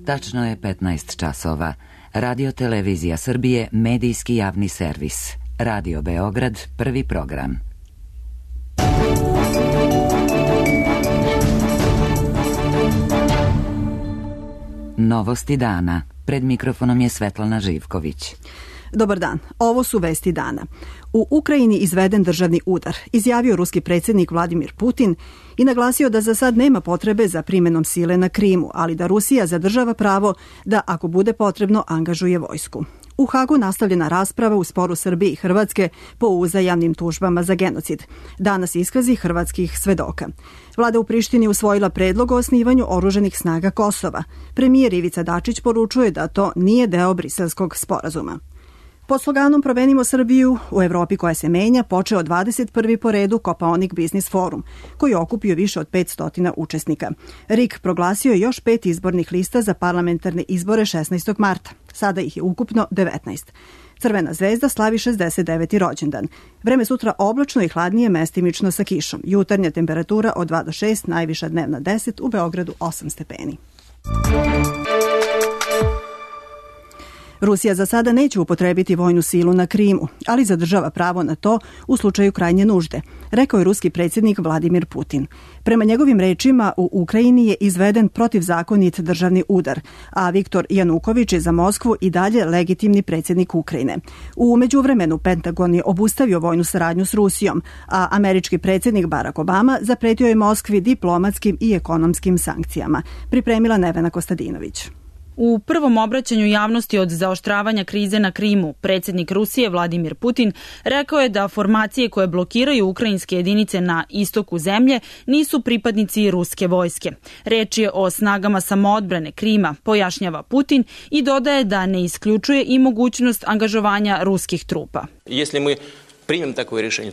Tačno je 15 časova. Radio Televizija Srbije, medijski javni servis. Radio Beograd, prvi program. Novosti dana. Pred mikrofonom je Svetlana Živković. Dobar dan, ovo su vesti dana. U Ukrajini izveden državni udar, izjavio ruski predsjednik Vladimir Putin i naglasio da za sad nema potrebe za primjenom sile na Krimu, ali da Rusija zadržava pravo da, ako bude potrebno, angažuje vojsku. U Hagu nastavljena rasprava u sporu Srbije i Hrvatske po uzajamnim tužbama za genocid. Danas iskazi hrvatskih svedoka. Vlada u Prištini usvojila predlog o osnivanju oružanih snaga Kosova. Premijer Ivica Dačić poručuje da to nije deo briselskog sporazuma. Pod sloganom Promenimo Srbiju u Evropi koja se menja počeo 21. po redu Kopaonik Biznis forum, koji je okupio više od 500 učesnika. RIK proglasio je još 5 izbornih lista za parlamentarne izbore 16. marta. Sada ih je ukupno 19. Crvena zvezda slavi 69. rođendan. Vreme sutra oblačno i hladnije, mestimično sa kišom. Jutarnja temperatura od 2 do 6, najviša dnevna 10, u Beogradu 8 stepeni. Rusija za sada neće upotrebiti vojnu silu na Krimu, ali zadržava pravo na to u slučaju krajnje nužde, rekao je ruski predsjednik Vladimir Putin. Prema njegovim rečima, u Ukrajini je izveden protivzakonit državni udar, a Viktor Januković je za Moskvu i dalje legitimni predsjednik Ukrajine. U međuvremenu Pentagon je obustavio vojnu saradnju s Rusijom, a američki predsjednik Barack Obama zapretio je Moskvi diplomatskim i ekonomskim sankcijama. Pripremila Nevena Kostadinović. U prvom obraćanju javnosti od zaoštravanja krize na Krimu, predsjednik Rusije Vladimir Putin rekao je da formacije koje blokiraju ukrajinske jedinice na istoku zemlje nisu pripadnici ruske vojske. Reč je o snagama samoodbrane Krima, pojašnjava Putin i dodaje da ne isključuje i mogućnost angažovanja ruskih trupa.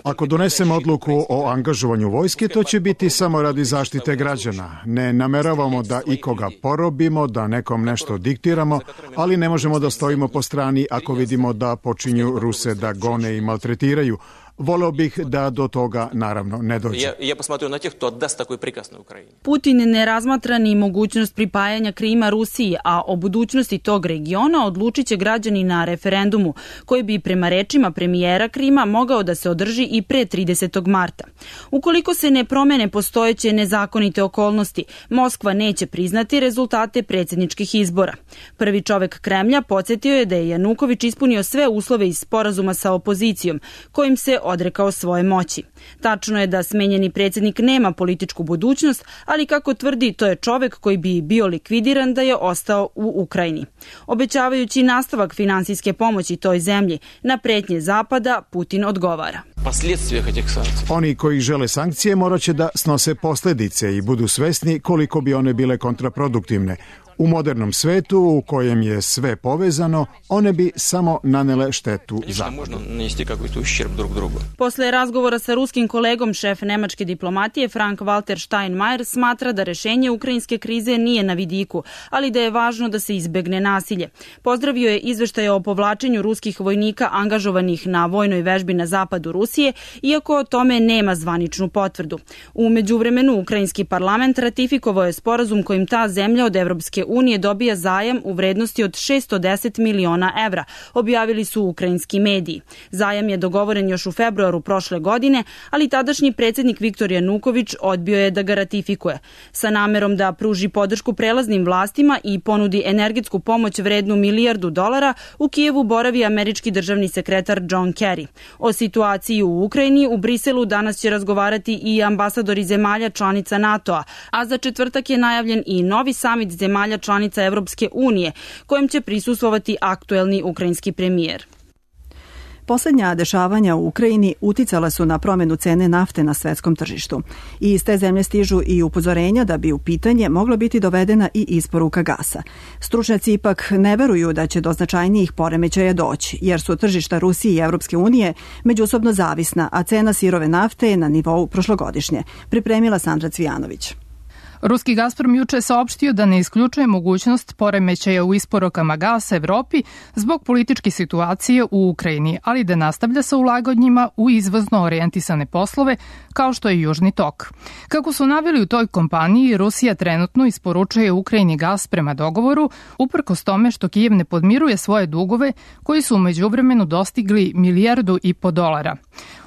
Ako donesemo odluku o angažovanju vojske, to će biti samo radi zaštite građana. Ne nameravamo da ikoga porobimo, da nekom nešto diktiramo, ali ne možemo da stojimo po strani ako vidimo da počinju Ruse da gone i maltretiraju. Voleo bih da do toga naravno ne dođe. Putin ne razmatra ni mogućnost pripajanja Krima Rusiji, a o budućnosti tog regiona odlučit će građani na referendumu, koji bi prema rečima premijera Krima mogao da se održi i pre 30. marta. Ukoliko se ne promene postojeće nezakonite okolnosti, Moskva neće priznati rezultate predsjedničkih izbora. Prvi čovek Kremlja podsjetio je da je Januković ispunio sve uslove iz sporazuma sa opozicijom, kojim se odrekao svoje moći. Tačno je da smenjeni predsjednik nema političku budućnost, ali kako tvrdi, to je čovek koji bi bio likvidiran da je ostao u Ukrajini. Obećavajući nastavak finansijske pomoći toj zemlji, na pretnje Zapada Putin odgovara. Oni koji žele sankcije morat će da snose posljedice i budu svesni koliko bi one bile kontraproduktivne. U modernom svetu u kojem je sve povezano, one bi samo nanele štetu Zapadu. Posle razgovora sa ruskim kolegom, šef nemačke diplomatije Frank-Walter Steinmeier smatra da rešenje ukrajinske krize nije na vidiku, ali da je važno da se izbegne nasilje. Pozdravio je izveštaje o povlačenju ruskih vojnika angažovanih na vojnoj vežbi na zapadu Rusije, iako o tome nema zvaničnu potvrdu. U međuvremenu, ukrajinski parlament ratifikovao je sporazum kojim ta zemlja od Evropske unije dobija zajam u vrednosti od 610 miliona evra, objavili su ukrajinski mediji. Zajam je dogovoren još u februaru prošle godine, ali tadašnji predsjednik Viktor Januković odbio je da ga ratifikuje. Sa namerom da pruži podršku prelaznim vlastima i ponudi energetsku pomoć vrednu $1 milijardu, u Kijevu boravi američki državni sekretar John Kerry. O situaciji u Ukrajini u Briselu danas će razgovarati i ambasadori zemalja članica NATO-a, a za četvrtak je najavljen i novi samit zemalja članica Evropske unije, kojem će prisustvovati aktuelni ukrajinski premijer. Poslednja dešavanja u Ukrajini uticala su na promjenu cene nafte na svetskom tržištu. I iz te zemlje stižu i upozorenja da bi u pitanje mogla biti dovedena i isporuka gasa. Stručnjaci ipak ne veruju da će do značajnijih poremećaja doći, jer su tržišta Rusije i Evropske unije međusobno zavisna, a cena sirove nafte je na nivou prošlogodišnje. Pripremila Sandra Cvijanović. Ruski Gazprom juče je saopštio da ne isključuje mogućnost poremećaja u isporukama gasa Evropi zbog političke situacije u Ukrajini, ali da nastavlja sa ulaganjima u izvozno orijentisane poslove kao što je Južni tok. Kako su naveli u toj kompaniji, Rusija trenutno isporučuje Ukrajini gas prema dogovoru, uprkos tome što Kijev ne podmiruje svoje dugove koji su u međuvremenu dostigli $1,5 milijardu.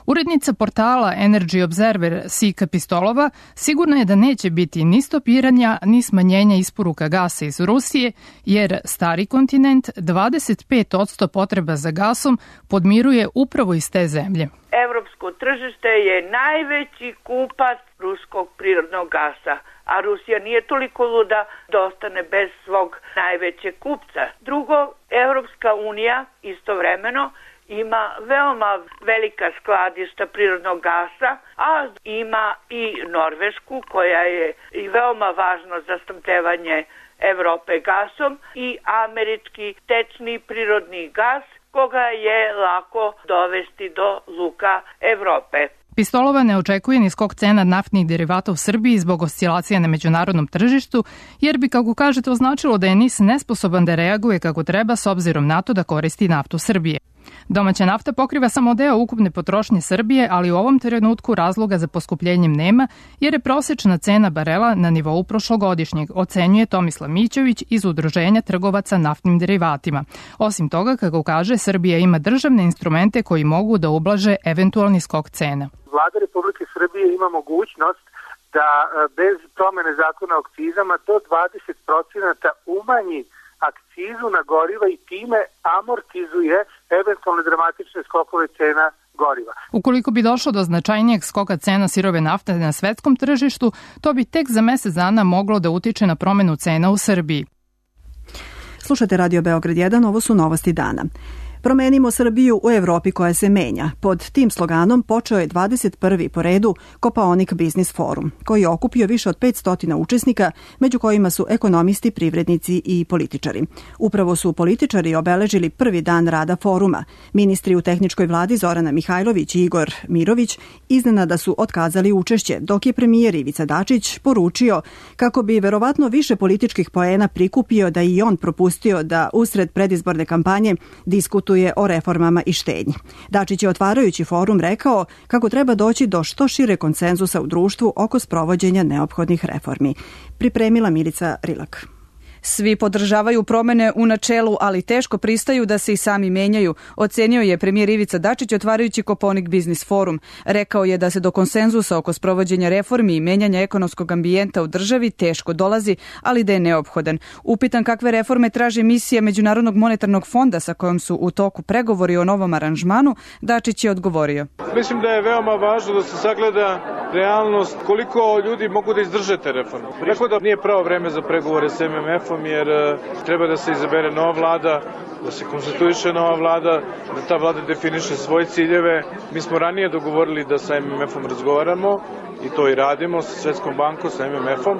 Urednica portala Energy Observer Sika Pistolova sigurna je da neće biti ni stopiranja ni smanjenja isporuka gasa iz Rusije, jer stari kontinent 25% potreba za gasom podmiruje upravo iz te zemlje. Evropsko tržište je najveći kupac ruskog prirodnog gasa, a Rusija nije toliko luda da ostane bez svog najvećeg kupca. Drugo, Evropska unija istovremeno ima veoma velika skladišta prirodnog gasa, a ima i Norvešku koja je i veoma važno za snabdevanje Evrope gasom i američki tečni prirodni gas koga je lako dovesti do luka Evrope. Pistolova ne očekuje ni skok cena naftnih derivata u Srbiji zbog oscilacija na međunarodnom tržištu, jer bi, kako kažete, označilo da je NIS nesposoban da reaguje kako treba s obzirom na to da koristi naftu Srbije. Domaća nafta pokriva samo deo ukupne potrošnje Srbije, ali u ovom trenutku razloga za poskupljenjem nema, jer je prosečna cena barela na nivou prošlogodišnjeg, ocenjuje Tomislav Mićović iz Udruženja trgovaca naftnim derivatima. Osim toga, kako kaže, Srbija ima državne instrumente koji mogu da ublaže eventualni skok cena. Vlada Republike Srbije ima mogućnost da bez promene zakona o akcizama do 20% umanji akcizu na goriva i time amortizuje eventualne dramatične skokove cena goriva. Ukoliko bi došlo do značajnijeg skoka cena sirove nafte na svetskom tržištu, to bi tek za mesec dana moglo da utiče na promenu cena u Srbiji. Slušate Radio Beograd 1, ovo su novosti dana. Promenimo Srbiju u Evropi koja se menja. Pod tim sloganom počeo je 21. po redu Kopaonik Biznis forum, koji je okupio više od 500 učesnika, među kojima su ekonomisti, privrednici i političari. Upravo su političari obeležili prvi dan rada foruma. Ministri u tehničkoj vladi Zorana Mihajlović i Igor Mirović iznenada su otkazali učešće, dok je premijer Ivica Dačić poručio kako bi verovatno više političkih poena prikupio da i on propustio da usred predizborne kampanje diskutuje o reformama i štednji. Dačić je otvarajući forum rekao kako treba doći do što šire konsenzusa u društvu oko sprovođenja neophodnih reformi. Pripremila Milica Rilak. Svi podržavaju promene u načelu, ali teško pristaju da se i sami menjaju, ocenio je premijer Ivica Dačić otvarajući Kopaonik Biznis forum. Rekao je da se do konsenzusa oko sprovođenja reformi i menjanja ekonomskog ambijenta u državi teško dolazi, ali da je neophodan. Upitan kakve reforme traži misija Međunarodnog monetarnog fonda sa kojom su u toku pregovori o novom aranžmanu, Dačić je odgovorio. Mislim da je veoma važno da se sagleda realnost koliko ljudi mogu da izdrže te reforme. Rekao da nije pravo vreme za pregovore s MMF-om, jer treba da se izabere nova vlada, da se konstituiše nova vlada, da ta vlada definiše svoje ciljeve. Mi smo ranije dogovorili da sa MMF-om razgovaramo i to i radimo sa Svetskom bankom, sa MMF-om,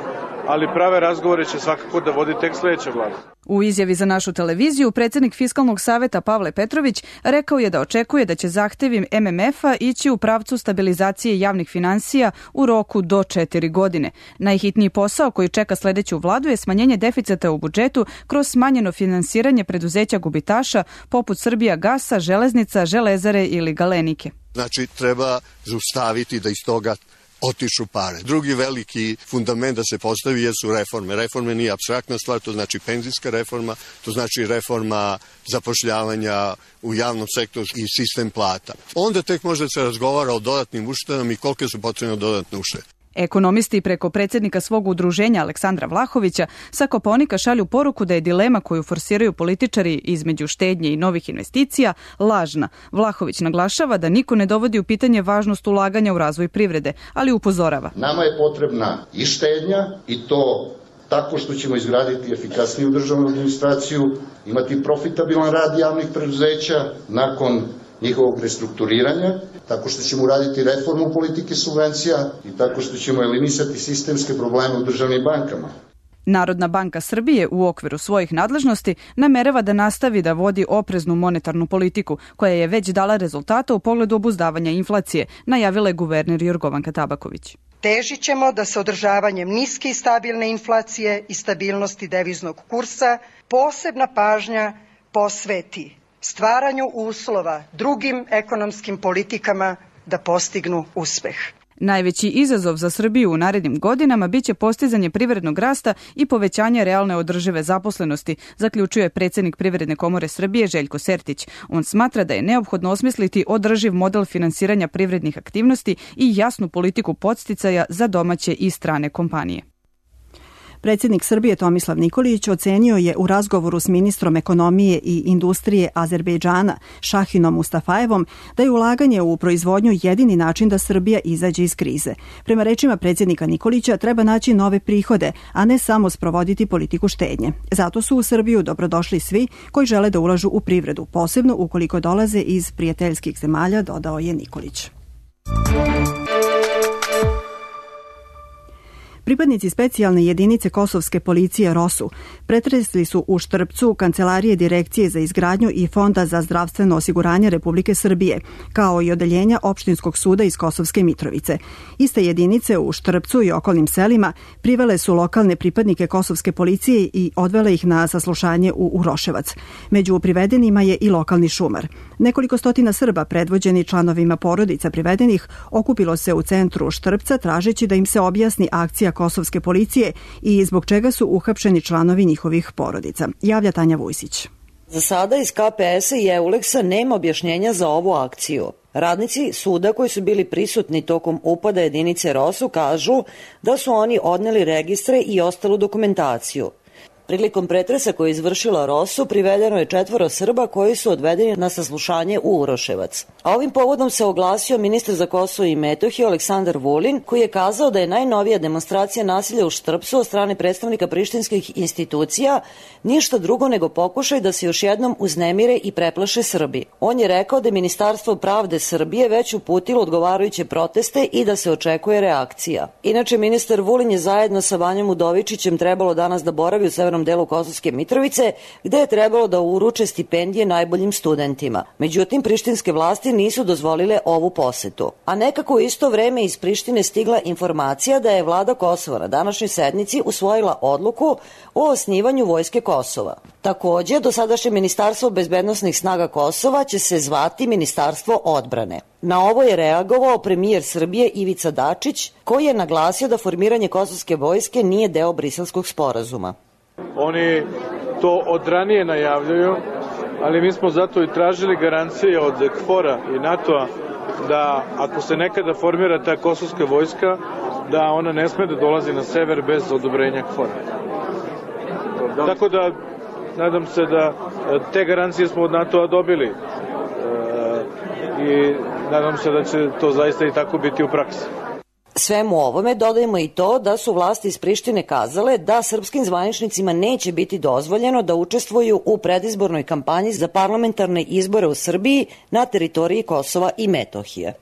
ali prave razgovore će svakako da vodi tek sledeća vlada. U izjavi za našu televiziju, predsjednik Fiskalnog saveta Pavle Petrović rekao je da očekuje da će zahtevi MMF-a ići u pravcu stabilizacije javnih finansija u roku do 4 godine. Najhitniji posao koji čeka sledeću vladu je smanjenje deficita u budžetu kroz smanjeno finansiranje preduzeća gubitaša poput Srbija gasa, železnica, železare ili Galenike. Znači, treba zaustaviti da iz toga otišu pare. Drugi veliki fundament da se postavi jesu reforme. Reforme nije apstraktna stvar, to znači penzijska reforma, to znači reforma zapošljavanja u javnom sektoru i sistem plata. Onda tek može da se razgovara o dodatnim uštedama i kolike su potrebne dodatne uštede. Ekonomisti preko predsjednika svog udruženja Aleksandra Vlahovića sa Kopaonika šalju poruku da je dilema koju forsiraju političari između štednje i novih investicija lažna. Vlahović naglašava da niko ne dovodi u pitanje važnost ulaganja u razvoj privrede, ali upozorava. Nama je potrebna i štednja i to tako što ćemo izgraditi efikasniju državnu administraciju, imati profitabilan rad javnih preduzeća nakon njihovog restrukturiranja, tako što ćemo uraditi reformu politike subvencija i tako što ćemo eliminisati sistemske probleme u državnim bankama. Narodna banka Srbije u okviru svojih nadležnosti namerava da nastavi da vodi opreznu monetarnu politiku, koja je već dala rezultata u pogledu obuzdavanja inflacije, najavila je guverner Jorgovanka Tabaković. Težit ćemo da se održavanjem niske i stabilne inflacije i stabilnosti deviznog kursa posebna pažnja posveti stvaranju uslova drugim ekonomskim politikama da postignu uspeh. Najveći izazov za Srbiju u narednim godinama biće postizanje privrednog rasta i povećanje realne održive zaposlenosti, zaključuje predsjednik Privredne komore Srbije Željko Sertić. On smatra da je neophodno osmisliti održiv model finansiranja privrednih aktivnosti i jasnu politiku podsticaja za domaće i strane kompanije. Predsjednik Srbije Tomislav Nikolić ocenio je u razgovoru s ministrom ekonomije i industrije Azerbejdžana Šahinom Mustafajevom da je ulaganje u proizvodnju jedini način da Srbija izađe iz krize. Prema rečima predsjednika Nikolića treba naći nove prihode, a ne samo sprovoditi politiku štednje. Zato su u Srbiju dobrodošli svi koji žele da ulažu u privredu, posebno ukoliko dolaze iz prijateljskih zemalja, dodao je Nikolić. Pripadnici specijalne jedinice kosovske policije ROSU pretresli su u Štrpcu Kancelarije Direkcije za izgradnju i Fonda za zdravstveno osiguranje Republike Srbije, kao i odeljenja Opštinskog suda iz Kosovske Mitrovice. Iste jedinice u Štrpcu i okolnim selima privele su lokalne pripadnike kosovske policije i odvele ih na saslušanje u Uroševac. Među privedenima je i lokalni šumar. Nekoliko stotina Srba, predvođeni članovima porodica privedenih, okupilo se u centru Štrpca tražeći da im se objasni akcija kosovske policije i zbog čega su uhapšeni članovi njihovih porodica. Javlja Tanja Vujsić. Za sada iz KPS-a i Euleksa nema objašnjenja za ovu akciju. Radnici suda koji su bili prisutni tokom upada jedinice ROSU kažu da su oni odneli registre i ostalu dokumentaciju. Prilikom pretresa koji je izvršila ROSU privedeno je 4 Srba koji su odvedeni na saslušanje u Uroševac. A ovim povodom se oglasio ministar za Kosovo i Metohiju Aleksandar Vulin, koji je kazao da je najnovija demonstracija nasilja u Štrpcu od strane predstavnika prištinskih institucija ništa drugo nego pokušaj da se još jednom uznemire i preplaše Srbi. On je rekao da je Ministarstvo pravde Srbije već uputilo odgovarajuće proteste i da se očekuje reakcija. Inače, ministar Vulin je zajedno sa Vanjom Udovičićem trebalo danas da boravi u severnom delu Kosovske Mitrovice, gde je trebalo da uruče stipendije najboljim studentima. Međutim, prištinske vlasti nisu dozvolile ovu posetu. A nekako u isto vreme iz Prištine stigla informacija da je vlada Kosova na današnjoj sednici usvojila odluku o osnivanju Vojske Kosova. Takođe, dosadašnje Ministarstvo bezbednosnih snaga Kosova će se zvati Ministarstvo odbrane. Na ovo je reagovao premijer Srbije Ivica Dačić, koji je naglasio da formiranje kosovske vojske nije deo Briselskog sporazuma. Oni to od ranije najavljaju, ali mi smo zato i tražili garancije od KFOR-a i NATO-a da ako se nekada formira ta kosovska vojska, da ona ne sme da dolazi na sever bez odobrenja KFOR-a. Tako da nadam se da te garancije smo od NATO-a dobili i nadam se da će to zaista i tako biti u praksi. Svemu ovome dodajemo i to da su vlasti iz Prištine kazale da srpskim zvaničnicima neće biti dozvoljeno da učestvuju u predizbornoj kampanji za parlamentarne izbore u Srbiji na teritoriji Kosova i Metohije.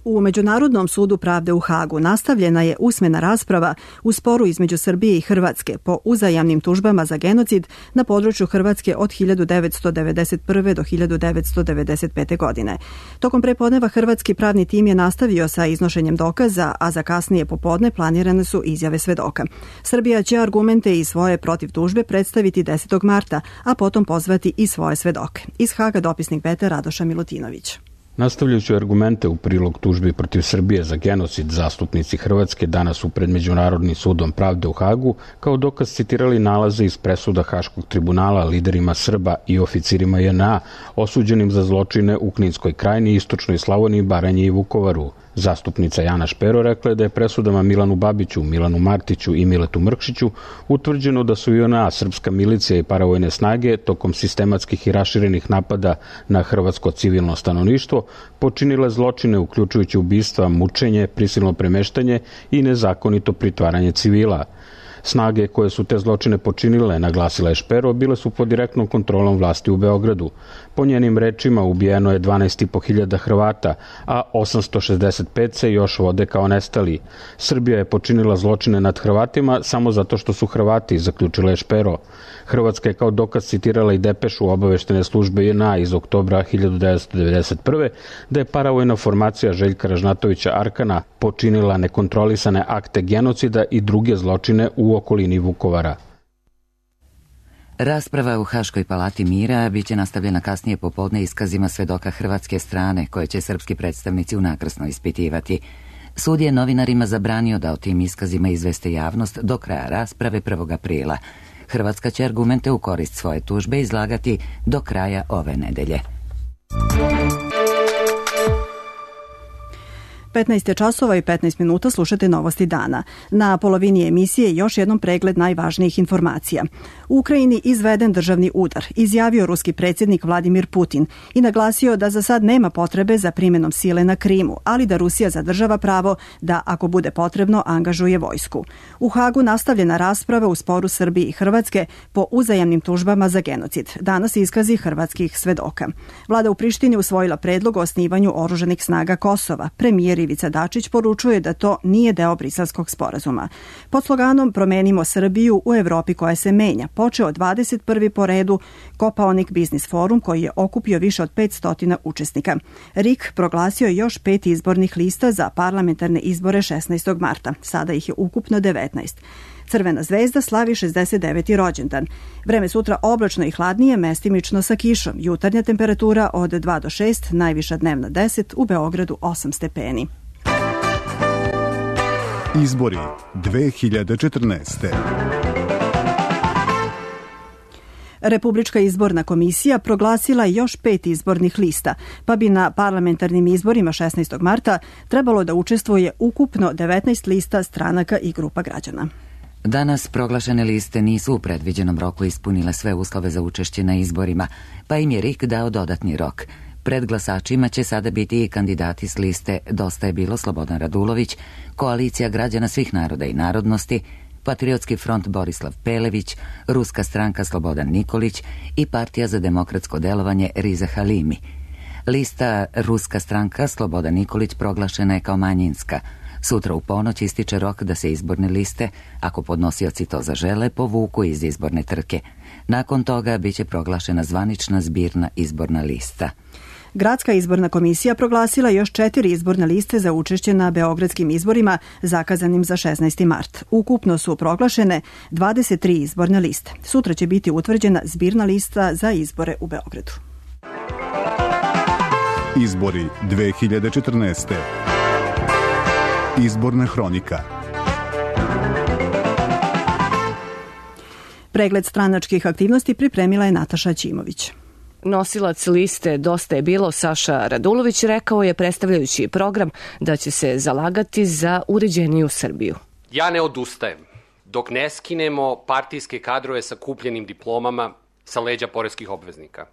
U Međunarodnom sudu pravde u Hagu nastavljena je usmena rasprava u sporu između Srbije i Hrvatske po uzajamnim tužbama za genocid na području Hrvatske od 1991. do 1995. godine. Tokom prepodneva hrvatski pravni tim je nastavio sa iznošenjem dokaza, a za kasnije popodne planirane su izjave svedoka. Srbija će argumente i svoje protiv tužbe predstaviti 10. marta, a potom pozvati i svoje svedoke. Iz Haga dopisnik Beta Radoša Milutinović. Nastavljajući argumente u prilog tužbi protiv Srbije za genocid, zastupnici Hrvatske danas su pred Međunarodnim sudom pravde u Hagu kao dokaz citirali nalaze iz presuda Haškog tribunala liderima Srba i oficirima JNA osuđenim za zločine u Kninskoj krajini, Istočnoj Slavoniji, Baranji i Vukovaru. Zastupnica Jana Špero rekla je da je presudama Milanu Babiću, Milanu Martiću i Miletu Mrkšiću utvrđeno da su JNA, srpska milicija i paravojne snage tokom sistematskih i raširenih napada na hrvatsko civilno stanovništvo počinile zločine uključujući ubistva, mučenje, prisilno premeštanje i nezakonito pritvaranje civila. Snage koje su te zločine počinile, naglasila je Špero, bile su pod direktnom kontrolom vlasti u Beogradu. Po njenim rečima ubijeno je 12.500 Hrvata, a 865 se još vode kao nestali. Srbija je počinila zločine nad Hrvatima samo zato što su Hrvati, zaključila je Špero. Hrvatska je kao dokaz citirala i depešu obaveštene službe JNA iz oktobra 1991. da je paravojna formacija Željka Ražnatovića Arkana počinila nekontrolisane akte genocida i druge zločine u okolini Vukovara. Rasprava u Haškoj palati mira biće nastavljena kasnije popodne iskazima svedoka hrvatske strane, koje će srpski predstavnici unakrsno ispitivati. Sud je novinarima zabranio da o tim iskazima izveste javnost do kraja rasprave 1. aprila. Hrvatska će argumente u korist svoje tužbe izlagati do kraja ove nedelje. 15 časova i 15 minuta slušate Novosti dana. Na polovini emisije još jednom pregled najvažnijih informacija. U Ukrajini izveden državni udar, izjavio ruski predsjednik Vladimir Putin i naglasio da za sad nema potrebe za primjenom sile na Krimu, ali da Rusija zadržava pravo da, ako bude potrebno, angažuje vojsku. U Hagu nastavljena rasprava u sporu Srbije i Hrvatske po uzajamnim tužbama za genocid. Danas iskazi hrvatskih svedoka. Vlada u Prištini usvojila predlog o osnivanju oružanih snaga Kosova. Premijer Ivica Dačić poručuje da to nije deo Briselskog sporazuma. Pod sloganom Promenimo Srbiju u Evropi koja se menja počeo 21. po redu Kopaonik biznis forum koji je okupio više od 500 učesnika. RIK proglasio je još 5 izbornih lista za parlamentarne izbore 16. marta. Sada ih je ukupno 19. Crvena zvezda slavi 69. rođendan. Vreme sutra oblačno i hladnije, mestimično sa kišom. Jutarnja temperatura od 2 do 6, najviša dnevna 10, u Beogradu 8 stepeni. Izbori 2014. Republička izborna komisija proglasila još 5 izbornih lista, pa bi na parlamentarnim izborima 16. marta trebalo da učestvuje ukupno 19 lista stranaka i grupa građana. Danas proglašene liste nisu u predviđenom roku ispunile sve uslove za učešće na izborima, pa im je RIK dao dodatni rok. Pred glasačima će sada biti i kandidati s liste Dosta je bilo Slobodan Radulović, Koalicija građana svih naroda i narodnosti, Patriotski front Borislav Pelević, Ruska stranka Slobodan Nikolić i Partija za demokratsko delovanje Riza Halimi. Lista Ruska stranka Slobodan Nikolić proglašena je kao manjinska. Sutra u ponoć ističe rok da se izborne liste, ako podnosioci to zažele, povuku iz izborne trke. Nakon toga biće proglašena zvanična zbirna izborna lista. Gradska izborna komisija proglasila još 4 izborne liste za učešće na beogradskim izborima zakazanim za 16. mart. Ukupno su proglašene 23 izborne liste. Sutra će biti utvrđena zbirna lista za izbore u Beogradu. Izbori 2014. Izborna hronika. Pregled stranačkih aktivnosti pripremila je Nataša Ćimović. Nosilac liste Dosta je bilo Saša Radulović rekao je, predstavljajući program, da će se zalagati za uređeniju Srbiju. Ja ne odustajem dok ne skinemo partijske kadrove sa kupljenim diplomama sa leđa poreskih obveznika,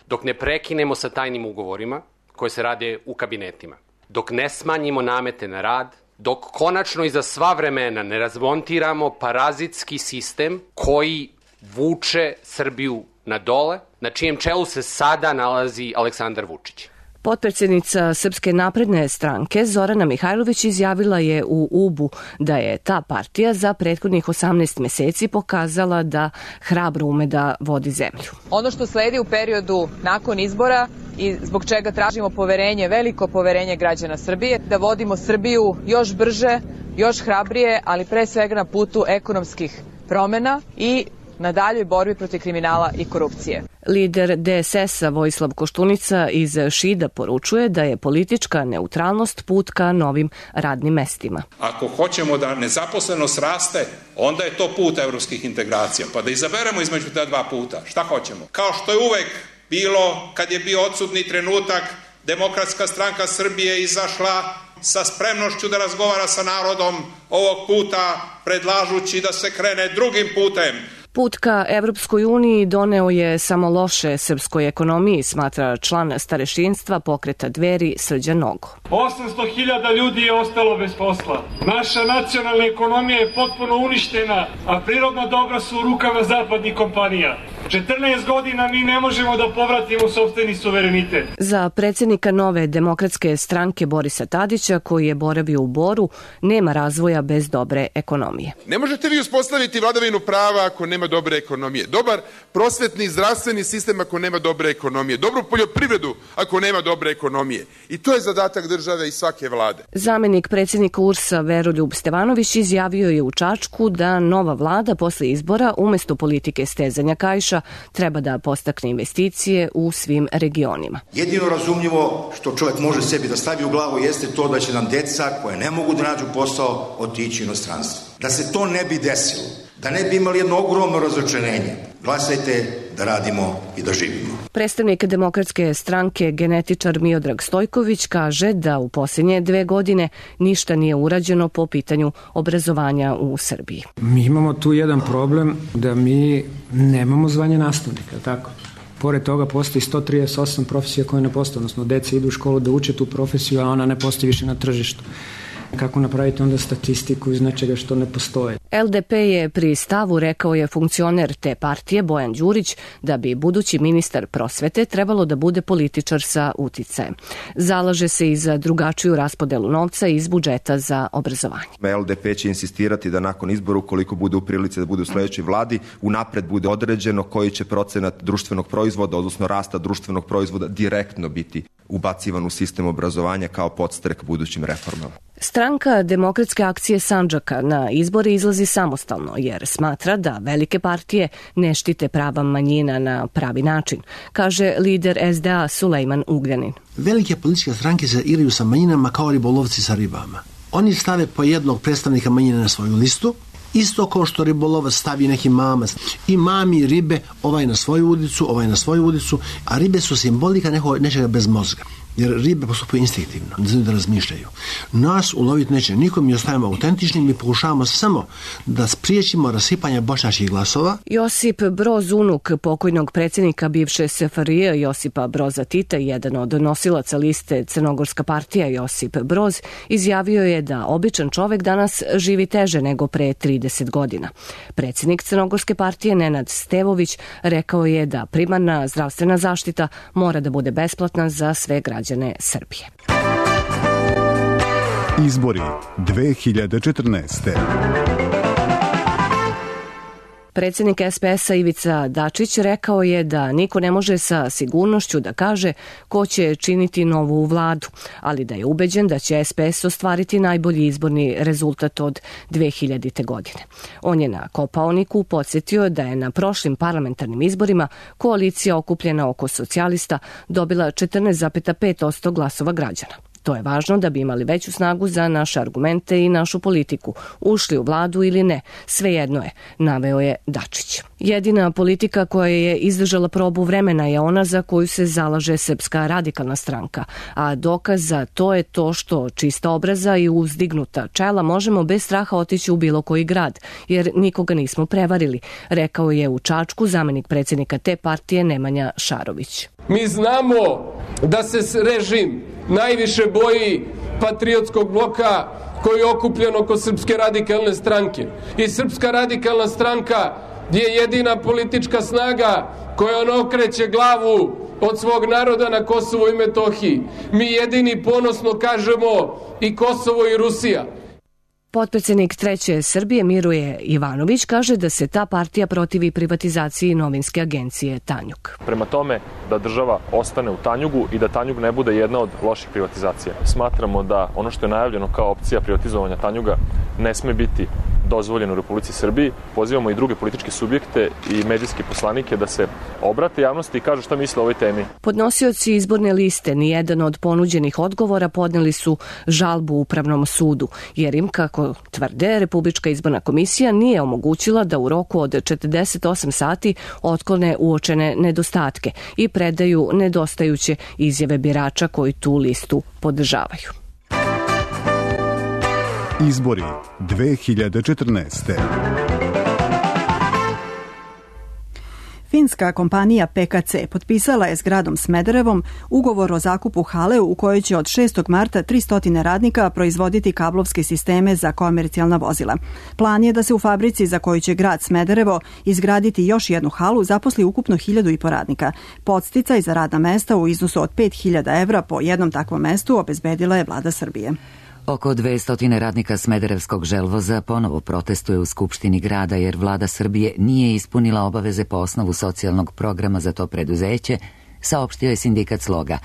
dok ne prekinemo sa tajnim ugovorima koje se rade u kabinetima, dok ne smanjimo namete na rad, dok konačno i za sva vremena ne razmontiramo parazitski sistem koji vuče Srbiju na dole, na čijem čelu se sada nalazi Aleksandar Vučić. Potpredsjednica Srpske napredne stranke Zorana Mihajlović izjavila je u UB-u da je ta partija za prethodnih 18 meseci pokazala da hrabro ume da vodi zemlju. Ono što sledi u periodu nakon izbora i zbog čega tražimo poverenje, veliko poverenje građana Srbije, da vodimo Srbiju još brže, još hrabrije, ali pre svega na putu ekonomskih promena i na daljoj borbi protiv kriminala i korupcije. Lider DSS-a Vojislav Koštunica iz Šida poručuje da je politička neutralnost put ka novim radnim mestima. Ako hoćemo da nezaposlenost raste, onda je to put evropskih integracija. Pa da izaberemo između ta dva puta. Šta hoćemo? Kao što je uvek bilo kad je bio odsutni trenutak, Demokratska stranka Srbije izašla sa spremnošću da razgovara sa narodom, ovog puta predlažući da se krene drugim putem. Put ka Evropskoj uniji doneo je samo loše srpskoj ekonomiji, smatra član starešinstva pokreta Dveri Srđan Nogo. 800.000 ljudi je ostalo bez posla. Naša nacionalna ekonomija je potpuno uništena, a prirodna dobra su u rukama zapadnih kompanija. 14 godina mi ne možemo da povratimo sopstveni suverenitet. Za predsjednika Nove demokratske stranke Borisa Tadića, koji je boravio u Boru, nema razvoja bez dobre ekonomije. Ne možete vi uspostaviti vladavinu prava ako nema dobre ekonomije. Dobar prosvetni i zdravstveni sistem ako nema dobre ekonomije. Dobru poljoprivredu ako nema dobre ekonomije. I to je zadatak države i svake vlade. Zamenik predsjednika URS-a Veroljub Stevanović izjavio je u Čačku da nova vlada posle izbora umjesto politike stezanja kaiša treba da postakne investicije u svim regionima. Jedino razumljivo što čovjek može sebi da stavi u glavu jeste to da će nam deca koje ne mogu da nađu posao otići u inostranstvo. Da se to ne bi desilo, da ne bi imali jedno ogromno razočarenje, glasajte da radimo i da živimo. Predstavnik demokratske stranke genetičar Miodrag Stojković kaže da u posljednje 2 godine ništa nije urađeno po pitanju obrazovanja u Srbiji. Mi imamo tu jedan problem da mi nemamo zvanje nastavnika, tako? Pored toga postoji 138 profesija koje ne postoje, odnosno deca idu u školu da uče tu profesiju, a ona ne postoji više na tržištu. Kako napraviti onda statistiku iz nečega što ne postoje? LDP je pri stavu, rekao je funkcioner te partije Bojan Đurić, da bi budući ministar prosvete trebalo da bude političar sa uticajem. Zalaže se i za drugačiju raspodelu novca iz budžeta za obrazovanje. LDP će insistirati da nakon izbora, ukoliko bude u prilici da bude u sledećoj vladi, unapred bude određeno koji će procenat društvenog proizvoda, odnosno rasta društvenog proizvoda, direktno biti ubacivan u sistem obrazovanja kao podstrek budućim reformama. Stranka Demokratske akcije Sandžaka na izbore izlazi samostalno jer smatra da velike partije ne štite prava manjina na pravi način, kaže lider SDA Sulejman Ugljanin. Velike političke stranke se igraju sa manjinama kao ribolovci sa ribama. Oni stave po jednog predstavnika manjine na svoju listu, isto kao što ribolovac stavi neki mamac. I mami ribe, ovaj na svoju udicu, ovaj na svoju udicu, a ribe su simbolika nečega bez mozga. Jer ribe postupaju instinktivno, ne znaju da razmišljaju. Nas uloviti neće nikom, mi ostajemo autentični, mi pokušavamo samo da spriječimo rasipanje bošnjačkih glasova. Josip Broz, unuk pokojnog predsjednika bivše SFRJ Josipa Broza Tita, jedan od nosilaca liste Crnogorska partija Josip Broz, izjavio je da običan čovek danas živi teže nego pre 30 godina. Predsjednik Crnogorske partije Nenad Stevović rekao je da primarna zdravstvena zaštita mora da bude besplatna za sve građane Srbije. Izbori 2014. Predsjednik SPS-a Ivica Dačić rekao je da niko ne može sa sigurnošću da kaže ko će činiti novu vladu, ali da je ubeđen da će SPS ostvariti najbolji izborni rezultat od 2000. godine. On je na Kopaoniku podsjetio da je na prošlim parlamentarnim izborima koalicija okupljena oko socijalista dobila 14,5% glasova građana. To je važno da bi imali veću snagu za naše argumente i našu politiku, ušli u vladu ili ne, svejedno je, naveo je Dačić. Jedina politika koja je izdržala probu vremena je ona za koju se zalaže Srpska radikalna stranka, a dokaz za to je to što čista obraza i uzdignuta čela možemo bez straha otići u bilo koji grad, jer nikoga nismo prevarili, rekao je u Čačku zamenik predsjednika te partije Nemanja Šarović. Mi znamo da se režim najviše boji patriotskog bloka koji je okupljen oko Srpske radikalne stranke. I Srpska radikalna stranka je jedina politička snaga koja on okreće glavu od svog naroda na Kosovo i Metohiji. Mi jedini ponosno kažemo i Kosovo i Rusija. Potpredsjednik Treće Srbije Miruje Ivanović kaže da se ta partija protivi privatizaciji novinske agencije Tanjug. Prema tome da država ostane u Tanjugu i da Tanjug ne bude jedna od loših privatizacija. Smatramo da ono što je najavljeno kao opcija privatizovanja Tanjuga ne sme biti dozvoljeno u Republici Srbiji. Pozivamo i druge političke subjekte i medijske poslanike da se obrate javnosti i kažu šta misle o ovoj temi. Podnosioci izborne liste nijedan od ponuđenih odgovora podneli su žalbu Upravnom sudu, jer im, kako tvrde, Republička izborna komisija nije omogućila da u roku od 48 sati otklone uočene nedostatke i predaju nedostajuće izjave birača koji tu listu podržavaju. Izbori 2014. Finska kompanija PKC potpisala je s gradom Smederevom ugovor o zakupu hale u kojoj će od 6. marta 300 radnika proizvoditi kablovske sisteme za komercijalna vozila. Plan je da se u fabrici za koju će grad Smederevo izgraditi još jednu halu zaposli ukupno 1.500 radnika. Podsticaj za radna mesta u iznosu od 5.000 evra po jednom takvom mestu obezbedila je vlada Srbije. Oko 200 radnika Smederevskog želvoza ponovo protestuje u Skupštini grada jer vlada Srbije nije ispunila obaveze po osnovu socijalnog programa za to preduzeće, saopštio je sindikat Sloga.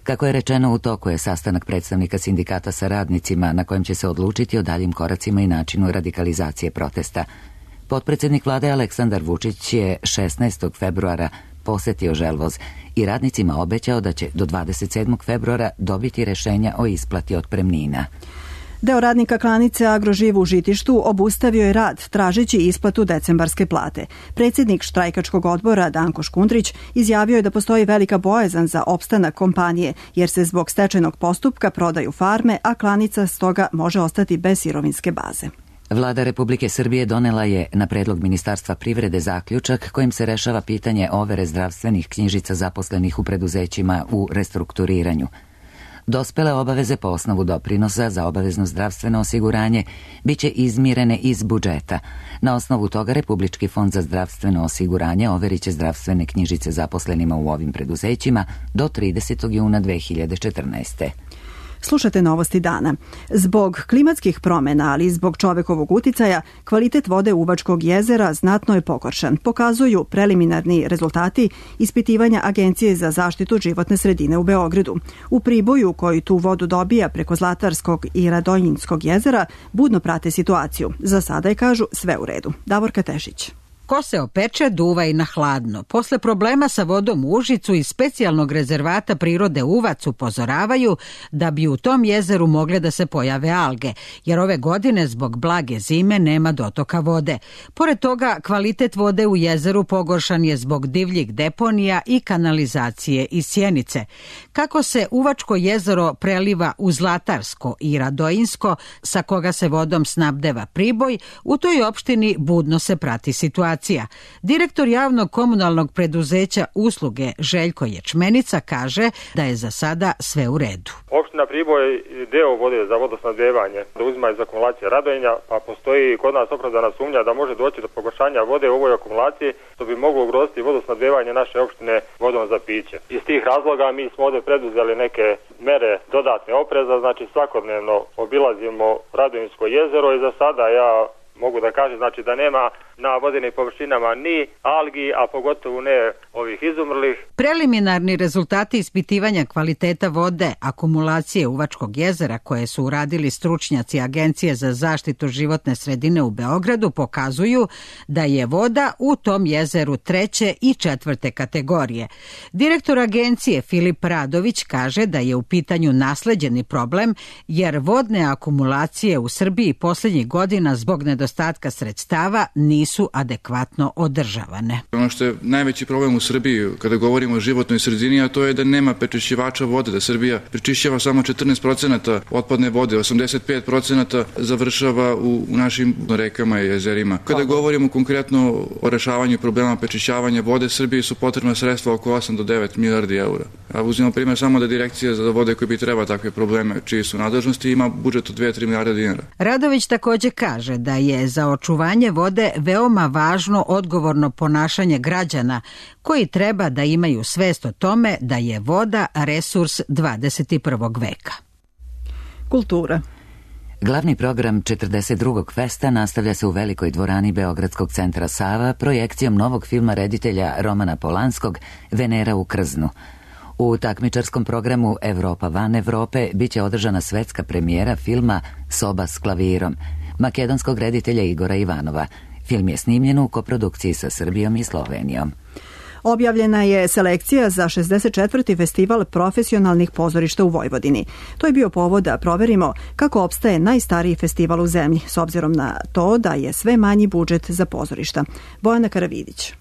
Kako je rečeno, u toku je sastanak predstavnika sindikata sa radnicima na kojem će se odlučiti o daljim koracima i načinu radikalizacije protesta. Potpredsednik vlade Aleksandar Vučić je 16. februara posetio želvoz i radnicima obećao da će do 27. februara dobiti rešenja o isplati otpremnina. Deo radnika klanice Agroživ u Žitištu obustavio je rad tražeći isplatu decembarske plate. Predsjednik štrajkačkog odbora Danko Škundrić izjavio je da postoji velika bojazan za opstanak kompanije jer se zbog stečajnog postupka prodaju farme, a klanica stoga može ostati bez sirovinske baze. Vlada Republike Srbije donela je na predlog Ministarstva privrede zaključak kojim se rešava pitanje overe zdravstvenih knjižica zaposlenih u preduzećima u restrukturiranju. Dospele obaveze po osnovu doprinosa za obavezno zdravstveno osiguranje biće izmirene iz budžeta. Na osnovu toga Republički fond za zdravstveno osiguranje overiće zdravstvene knjižice zaposlenima u ovim preduzećima do 30. juna 2014. Slušate novosti dana. Zbog klimatskih promjena, ali i zbog čovekovog uticaja, kvalitet vode Uvačkog jezera znatno je pogoršan, pokazuju preliminarni rezultati ispitivanja Agencije za zaštitu životne sredine u Beogradu. U Priboju, koji tu vodu dobija preko Zlatarskog i Radonjinskog jezera, budno prate situaciju. Za sada je, kažu, sve u redu. Davorka Tešić. Ko se opeče, duva i na hladno. Posle problema sa vodom u Užicu iz specijalnog rezervata prirode Uvac upozoravaju da bi u tom jezeru mogle da se pojave alge, jer ove godine zbog blage zime nema dotoka vode. Pored toga, kvalitet vode u jezeru pogoršan je zbog divljih deponija i kanalizacije iz Sjenice. Kako se Uvačko jezero preliva u Zlatarsko i Radojinsko, sa koga se vodom snabdeva Priboj, u toj opštini budno se prati situacija. Direktor javnog komunalnog preduzeća Usluge Željko Ječmenica kaže da je za sada sve u redu. Opština Priboj deo vode za vodosnabdevanje da uzima iz akumulacije Radonja, pa postoji kod nas opravdana sumnja da može doći do pogoršanja vode u ovoj akumulaciji, što bi moglo ugroziti vodosnabdevanje naše opštine vodom za piće. Iz tih razloga mi smo ovdje preduzeli neke mere dodatne opreza, znači svakodnevno obilazimo Radonjinsko jezero i za sada ja mogu da kažem znači da nema na vodenim površinama ni algi, a pogotovo ne ovih izumrlih. Preliminarni rezultati ispitivanja kvaliteta vode akumulacije Uvačkog jezera koje su uradili stručnjaci Agencije za zaštitu životne sredine u Beogradu pokazuju da je voda u tom jezeru 3. i 4. kategorije. Direktor agencije Filip Radović kaže da je u pitanju nasleđeni problem jer vodne akumulacije u Srbiji posljednjih godina zbog nedostatka sredstava nisu adekvatno održavane. Ono što je najveći problem u Srbiji kada govorimo o životnoj sredini, a to je da nema prečišćivača vode, da Srbija prečišćava samo 14% otpadne vode, 85% završava u našim rekama i jezerima. Kada govorimo konkretno o rešavanju problema prečišćavanja vode, Srbiji su potrebna sredstva oko 8 do 9 milijardi eura. A uzimamo primjer samo da Direkcija za vode koji bi treba takve probleme, čiji su nadležnosti, ima budžet od 2-3 milijarde dinara. Radović također kaže da je za očuvanje vode veoma važno odgovorno ponašanje građana koji treba da imaju svest o tome da je voda resurs 21. veka. Kultura. Glavni program 42. festa nastavlja se u velikoj dvorani Beogradskog centra Sava projekcijom novog filma reditelja Romana Polanskog Venera u Krznu. U takmičarskom programu Evropa van Evrope biće održana svetska premijera filma Soba s klavirom makedonskog reditelja Igora Ivanova. Film je snimljen u koprodukciji sa Srbijom i Slovenijom. Objavljena je selekcija za 64. festival profesionalnih pozorišta u Vojvodini. To je bio povod da proverimo kako opstaje najstariji festival u zemlji, s obzirom na to da je sve manji budžet za pozorišta. Bojana Karavidić.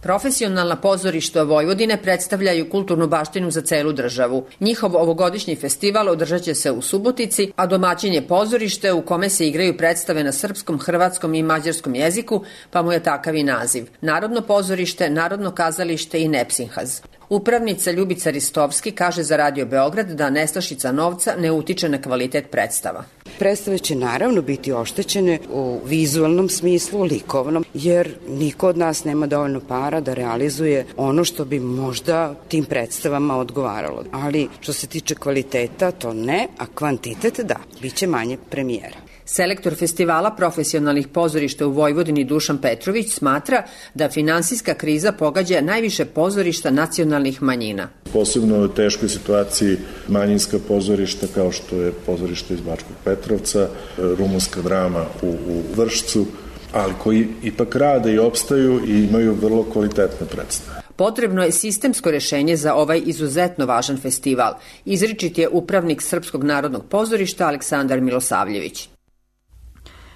Profesionalna pozorišta Vojvodine predstavljaju kulturnu baštinu za celu državu. Njihov ovogodišnji festival održat će se u Subotici, a domaćin je pozorište u kome se igraju predstave na srpskom, hrvatskom i mađarskom jeziku, pa mu je takav i naziv. Narodno pozorište, Narodno kazalište i Nepsinhaz. Upravnica Ljubica Ristovski kaže za Radio Beograd da nestašica novca ne utiče na kvalitet predstava. Predstave će naravno biti oštećene u vizualnom smislu, likovnom, jer niko od nas nema dovoljno para da realizuje ono što bi možda tim predstavama odgovaralo. Ali što se tiče kvaliteta, to ne, a kvantitet da, biće manje premijera. Selektor festivala profesionalnih pozorišta u Vojvodini Dušan Petrović smatra da finansijska kriza pogađa najviše pozorišta nacionalnih manjina. Posebno u teškoj situaciji manjinska pozorišta kao što je pozorište iz Bačkog Petrovca, rumunska drama u Vršcu, ali koji ipak rade i opstaju i imaju vrlo kvalitetne predstave. Potrebno je sistemsko rešenje za ovaj izuzetno važan festival. Izričit je upravnik Srpskog narodnog pozorišta Aleksandar Milosavljević.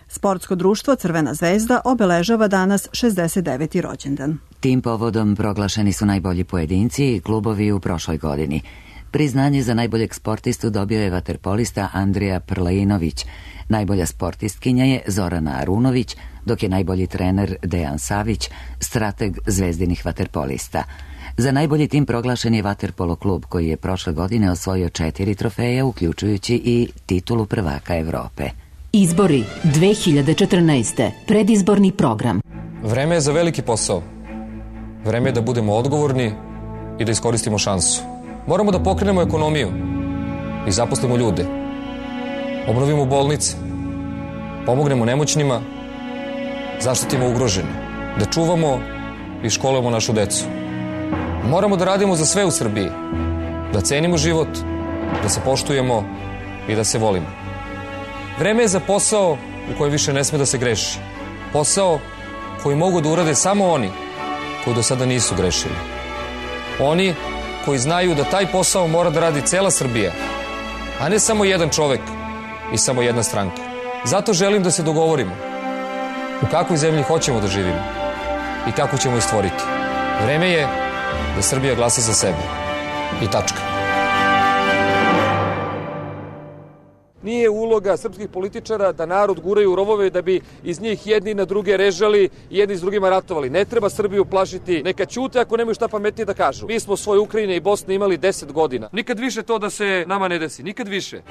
Sportsko društvo Crvena zvezda obeležava danas 69. rođendan. Tim povodom proglašeni su najbolji pojedinci i klubovi u prošloj godini. Priznanje za najboljeg sportistu dobio je vaterpolista Andrija Prlejinović. Najbolja sportistkinja je Zorana Arunović, dok je najbolji trener Dejan Savić, strateg zvezdinih vaterpolista. Za najbolji tim proglašen je vaterpolo klub koji je prošle godine osvojio 4 trofeje, uključujući i titulu prvaka Evrope. Izbori 2014. Predizborni program. Vreme je za veliki posao. Vreme je da budemo odgovorni i da iskoristimo šansu. Moramo da pokrenemo ekonomiju i zaposlimo ljude. Obnovimo bolnice, pomognemo nemoćnima, zaštitimo ugrožene, da čuvamo i školujemo našu decu. Moramo da radimo za sve u Srbiji, da cenimo život, da se poštujemo i da se volimo. Vreme je za posao u kojem više ne sme da se greši. Posao koji mogu da urade samo oni koji do sada nisu grešili. Oni koji znaju da taj posao mora da radi cela Srbija, a ne samo jedan čovek i samo jedna stranka. Zato želim da se dogovorimo u kakvoj zemlji hoćemo da živimo i kako ćemo je stvoriti. Vreme je da Srbija glasa za sebe. I tačka. Nije uloga srpskih političara da narod guraju u rovove da bi iz njih jedni na druge režali i jedni s drugima ratovali. Ne treba Srbiju plašiti, neka ćute ako nemaju šta pametnije da kažu. Mi smo svoje Ukrajine i Bosne imali 10 godina. Nikad više to da se nama ne desi, nikad više.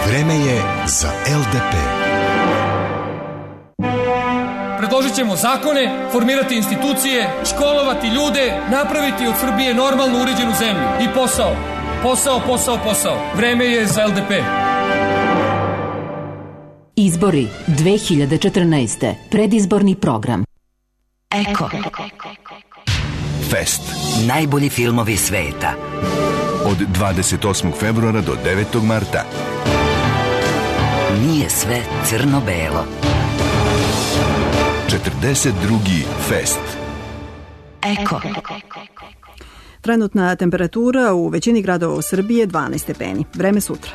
Vreme je za LDP. Predložit ćemo zakone, formirati institucije, školovati ljude, napraviti od Srbije normalno uređenu zemlju. I posao. Posao, posao, posao. Vreme je za LDP. Izbori 2014. Predizborni program. Eko. Fest. Najbolji filmovi sveta. Od 28. februara do 9. marta. Nije sve crno-belo. 42. Fest. Eko. Trenutna temperatura u većini gradova u Srbiji je 12 stepeni. Vreme sutra.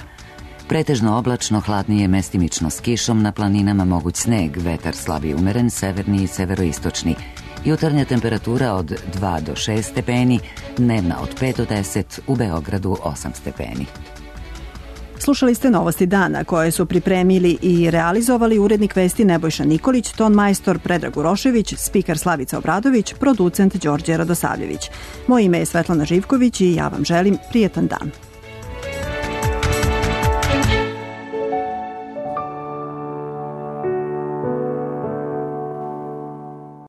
Pretežno oblačno, hladnije mestimično s kišom, na planinama moguć sneg, vetar slab i umeren, severni i severoistočni. Jutarnja temperatura od 2 do 6 stepeni, dnevna od 5 do 10, u Beogradu 8 stepeni. Slušali ste Novosti dana koje su pripremili i realizovali urednik vesti Nebojša Nikolić, ton majstor Predrag Urošević, spiker Slavica Obradović, producent Đorđe Radosavljević. Moje ime je Svetlana Živković i ja vam želim prijetan dan.